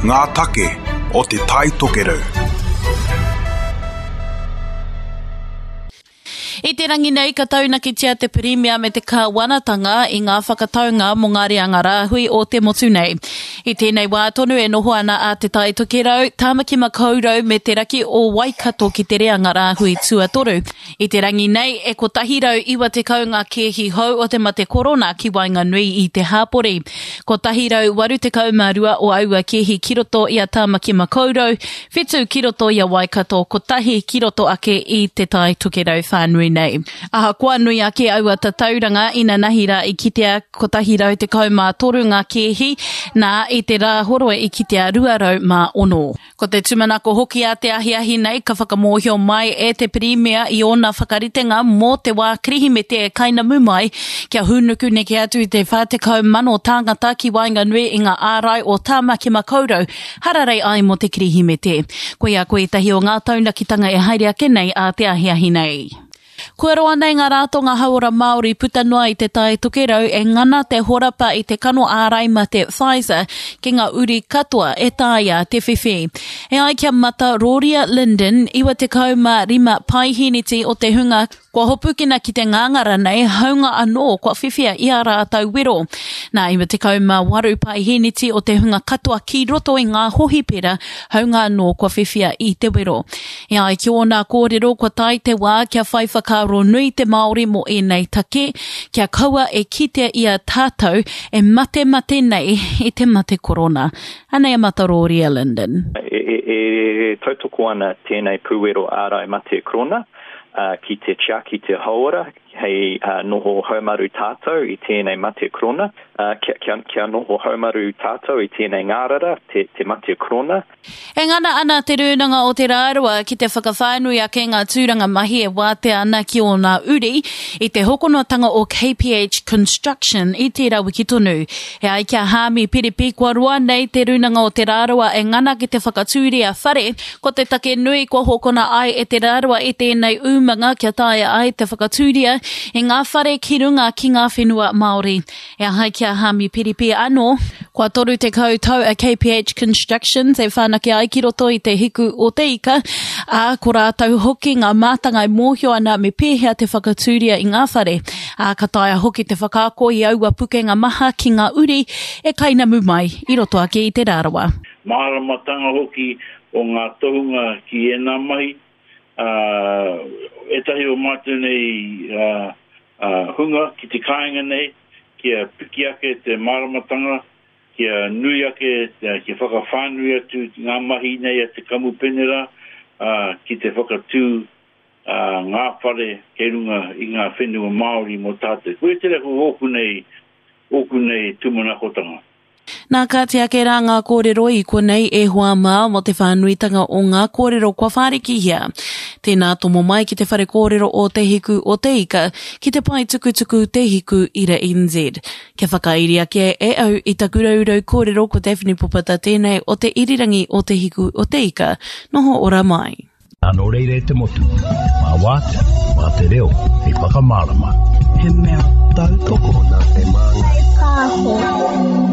Ngā take o Te Tai Tokerau. I te rangi nei ka taunakitia te Pirimia me te Kāwanatanga i ngā whakataunga mō ngā reanga rāhui o te motu nei. I tēnei wā tonu e noho ana a Te Tai Tokerau, Tāmaki Makaurau me te raki o Waikato ki te reanga rāhui tuatoru. I te rangi nei, e 190 ngā kēhi hou o te mate korona ki waenganui i te hāpori. 182 o aua kēhi ki roto i a Tāmaki Makaurau, whitu ki roto i a Waikato, kotahi ki roto ake i Te Tai Tokerau whānui nei. Ahakoa nui ake aua tatauranga, inanahi rā i kitea 113 ngā kēhi, nā, i te Rāhoroi i kitea 206. Ko te tūmanako hoki a te ahiahi nei ka whakamōhio mai e te Pirimia i ōna whakaritenga mō te wā Kirihimete e kainamu mai kia hūnuku neke atu i te 40,000 tāngata ki waenganui i ngā ārai o Tāmaki Makaurau hararei ai mō te Kirihimete. Koia ko ētahi o ngā taunakitanga e haere ake nei ā te ahiahi nei. Kua roa nei ngā rātonga hauora Māori puta noa i Te Tai Tokerau e ngana te horapa i te kano ārai mate Pfizer ki ngā uri katoa e taea te whiwhi. E ai ki a Mata Roria Linden, 95 paeheneti o te hunga kua hopukina ki te ngāngara nei, haunga anō kua whiwhia i ā rātou wero. Nā, 98 paeheneti o te hunga katoa ki roto i ngā hohipera, haunga anō kua whiwhia i te wero. E ai ki ōna kōrero kua tae te wā kia whai whakaaro nui te Māori mō ēnei take, kia kaua e kitea i a tātou e matemate nei i te mate korona. Anei a Mataroria Lyndon. E tautoko ana tēnei pūwero ārai mate korona ki te tiaki te hauora hei noho haumaru tātou i tēnei mate korona, kia noho haumaru tātou i tēnei ngārara, te mate korona. E ngana ana Te Rūnanga o Te Rarawa ki te whakawhānui ake ngā tūranga mahi e wātea ana ki ōna uri i te hokonatanga o KPH Construction i tērā wiki tonu. E ai ki a Haami Piripi, kua roa nei Te Rūnanga o Te Rarawa e ngana ki te whakatūria whare, ko te take nui kua hokona ai e Te Rarawa i tēnei umanga kia taea ai te whakatūria i ngā whare ki runga ki ngā whenua Māori. E ai ki a Hami Piripi anō, kua 30 tau a KPH Constructions e whanake ai ki roto i te hiku o te ika, ā, ko rātou hoki ngā mātanga e mōhio ana me pēhea te whakatūria i ngā whare, ā, ka taea hoki te whakaako i aua pukenga maha ki ngā uri e kainamu mai i roto ake i Te Rarawa. Māramatanga hoki o ngā tohunga ki ēnā mahi, ā, ētahi o mātou nei hunga ki te kāinga nei, kia piki ake te māramatanga, kia nui ake, kia whakawhānui atu ngā mahi nei a te kamupene rā, ā, ki te whakatū ngā whare kei runga i ngā whenua Māori mō tātou. Koia tērā ko ōku nei, ōku nei tūmanakotanga. Nā, kāti ake rā ngā kōrero i konei e hoa mā mō te whānuitanga o ngā kōrero kua whārikihia. Tēnā tomo mai ki te whare kōrero o Te Hiku o Te Ika ki te pae tukutuku Te Hiku Ira NZ. Kia whakairi ake e au i taku raurau kōrero ko Daphne Popata tēnei o te irirangi o Te Hiku o Te Ika. Noho ora mai. Nō reira e te motu, mā wātea, mā te reo, hei whakamārama. He mea tautoko nā te Māngai Pāho.